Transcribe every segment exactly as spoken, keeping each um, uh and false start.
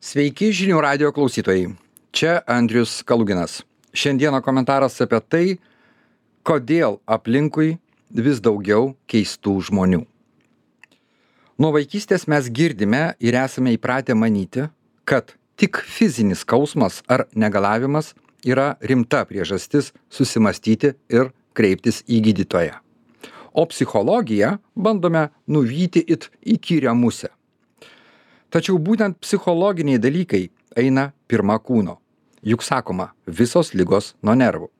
Sveiki žinių radio klausytojai. Čia Andrius Kaluginas. Šiandieną komentaras apie tai, kodėl aplinkui vis daugiau keistų žmonių. Nuo vaikystės mes girdime ir esame įpratę manyti, kad tik fizinis skausmas ar negalavimas yra rimta priežastis susimastyti ir kreiptis į gydytoją. O psichologiją bandome nuvyti it įkyrią musę. Tačiau būtent psichologiniai dalykai eina pirma kūno. Juk sakoma, visos ligos nuo nervų.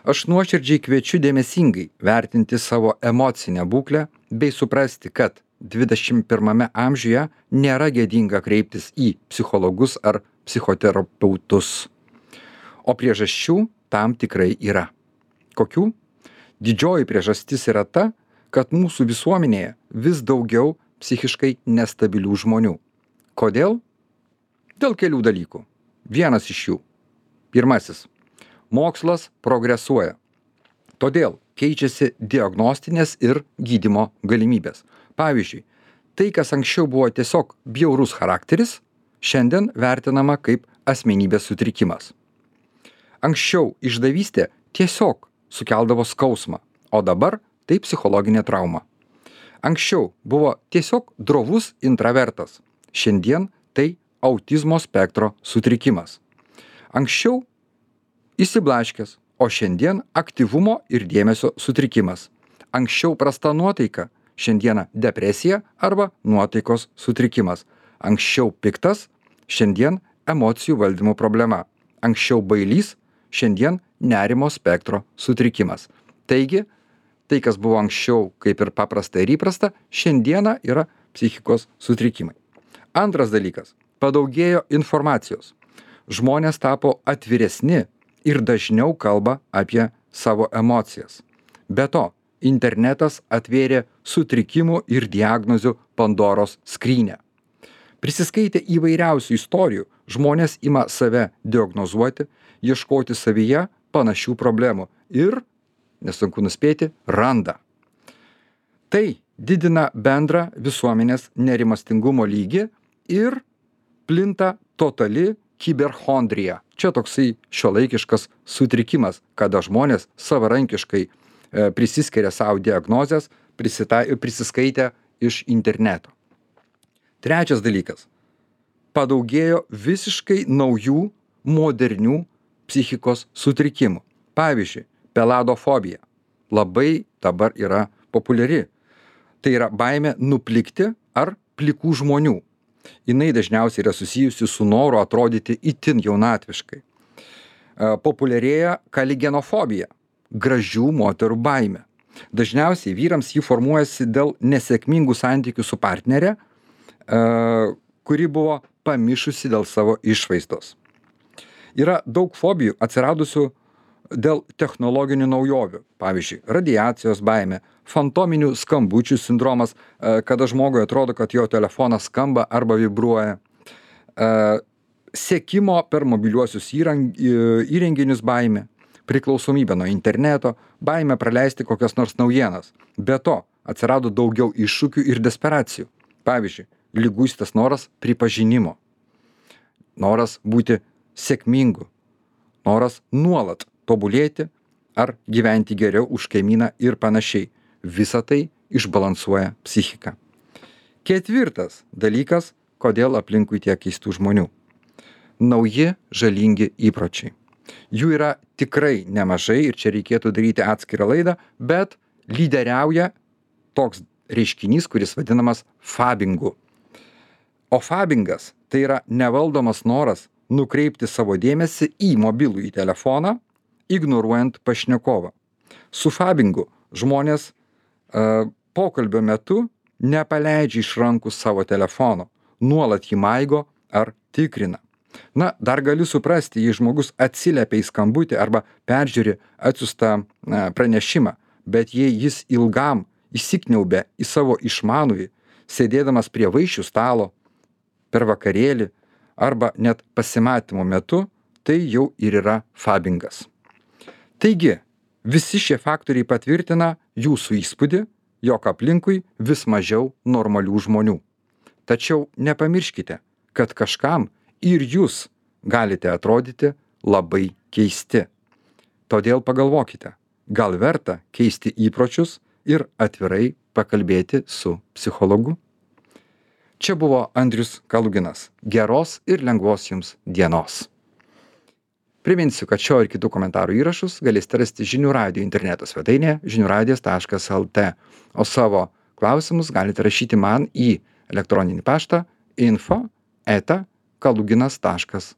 Aš nuoširdžiai kviečiu dėmesingai vertinti savo emocinę būklę bei suprasti, kad dvidešimt pirmame amžiuje nėra gėdinga kreiptis į psichologus ar psichoterapeutus. O priežasčių tam tikrai yra. Kokių? Didžioji priežastis yra ta, kad mūsų visuomenėje vis daugiau psichiškai nestabilių žmonių. Kodėl? Dėl kelių dalykų. Vienas iš jų. Pirmasis. Mokslas progresuoja. Todėl keičiasi diagnostinės ir gydymo galimybės. Pavyzdžiui, tai, kas anksčiau buvo tiesiog bjaurus charakteris, šiandien vertinama kaip asmenybės sutrikimas. Anksčiau išdavystė tiesiog sukeldavo skausmą, o dabar tai psichologinė trauma. Anksčiau buvo tiesiog drovus intravertas, šiandien tai autizmo spektro sutrikimas. Anksčiau įsiblaškęs, o šiandien aktyvumo ir dėmesio sutrikimas. Anksčiau prasta nuotaika, šiandieną depresija arba nuotaikos sutrikimas. Anksčiau piktas, šiandien emocijų valdymo problema. Anksčiau bailys, šiandien nerimo spektro sutrikimas. Taigi, tai, kas buvo anksčiau kaip ir paprasta ir įprasta, šiandieną yra psichikos sutrikimai. Antras dalykas. Padaugėjo informacijos. Žmonės tapo atviresni ir dažniau kalba apie savo emocijas. Be to, internetas atvėrė sutrikimų ir diagnozių Pandoros skrynią. Prisiskaitę įvairiausių istorijų, žmonės ima save diagnozuoti, ieškoti savyje panašių problemų ir, nesunku nuspėti, randa. Tai didina bendrą visuomenės nerimastingumo lygį ir plinta totali kiberchondrija. Čia toksai šiuolaikiškas sutrikimas, kada žmonės savarankiškai e, prisiskiria savo diagnozes, prisiskaitę iš interneto. Trečias dalykas. Padaugėjo visiškai naujų, modernių psichikos sutrikimų. Pavyzdžiui, peladofobija. Labai dabar yra populiari. Tai yra baimė nuplikti ar plikų žmonių. Jinai dažniausiai yra susijusi su noru atrodyti itin jaunatviškai. E, populiarėja kaligenofobija. Gražių moterų baimė. Dažniausiai vyrams ji formuojasi dėl nesėkmingų santykių su partnere, e, kuri buvo pamišusi dėl savo išvaizdos. Yra daug fobijų atsiradusių dėl technologinių naujovių. Pavyzdžiui, radiacijos baimė, fantominių skambučių sindromas, kada žmogui atrodo, kad jo telefonas skamba arba vibruoja. Sekimo per mobiliuosius įrenginius baimė, priklausomybė nuo interneto, baimė praleisti kokias nors naujienas. Be to, atsirado daugiau iššūkių ir desperacijų. Pavyzdžiui, liguistas noras pripažinimo, noras būti sėkmingu, noras nuolat tobulėti ar gyventi geriau už kaimyną ir panašiai. Visa tai išbalansuoja psichiką. Ketvirtas dalykas, kodėl aplinkui tiek keistų žmonių. Nauji žalingi įpročiai. Jų yra tikrai nemažai ir čia reikėtų daryti atskirą laidą, bet lyderiauja toks reiškinys, kuris vadinamas fabingu. O fabingas tai yra nevaldomas noras nukreipti savo dėmesį į mobilųjį telefoną, ignoruojant pašnekovą. Su fabingu žmonės uh, pokalbio metu nepaleidžia iš rankų savo telefono, nuolat jį maigo ar tikrina. Na, dar gali suprasti, jei žmogus atsiliepia į skambutį arba peržiūri atsiųstą uh, pranešimą, bet jei jis ilgam įsikniaubia į savo išmanųjį, sėdėdamas prie vaišių stalo, per vakarėlį arba net pasimatymo metu, tai jau ir yra fabingas. Taigi, visi šie faktoriai patvirtina jūsų įspūdį, jog aplinkui vis mažiau normalių žmonių. Tačiau nepamirškite, kad kažkam ir jūs galite atrodyti labai keisti. Todėl pagalvokite, gal verta keisti įpročius ir atvirai pakalbėti su psichologu? Čia buvo Andrius Kaluginas. Geros ir lengvos jums dienos. Priminsiu, kad šio ir kitų komentarų įrašus galėsite rasti žinių radijo interneto svetainėje žinių radijas taškas lt, o savo klausimus galite rašyti man į elektroninį paštą info eta kaluginas taškas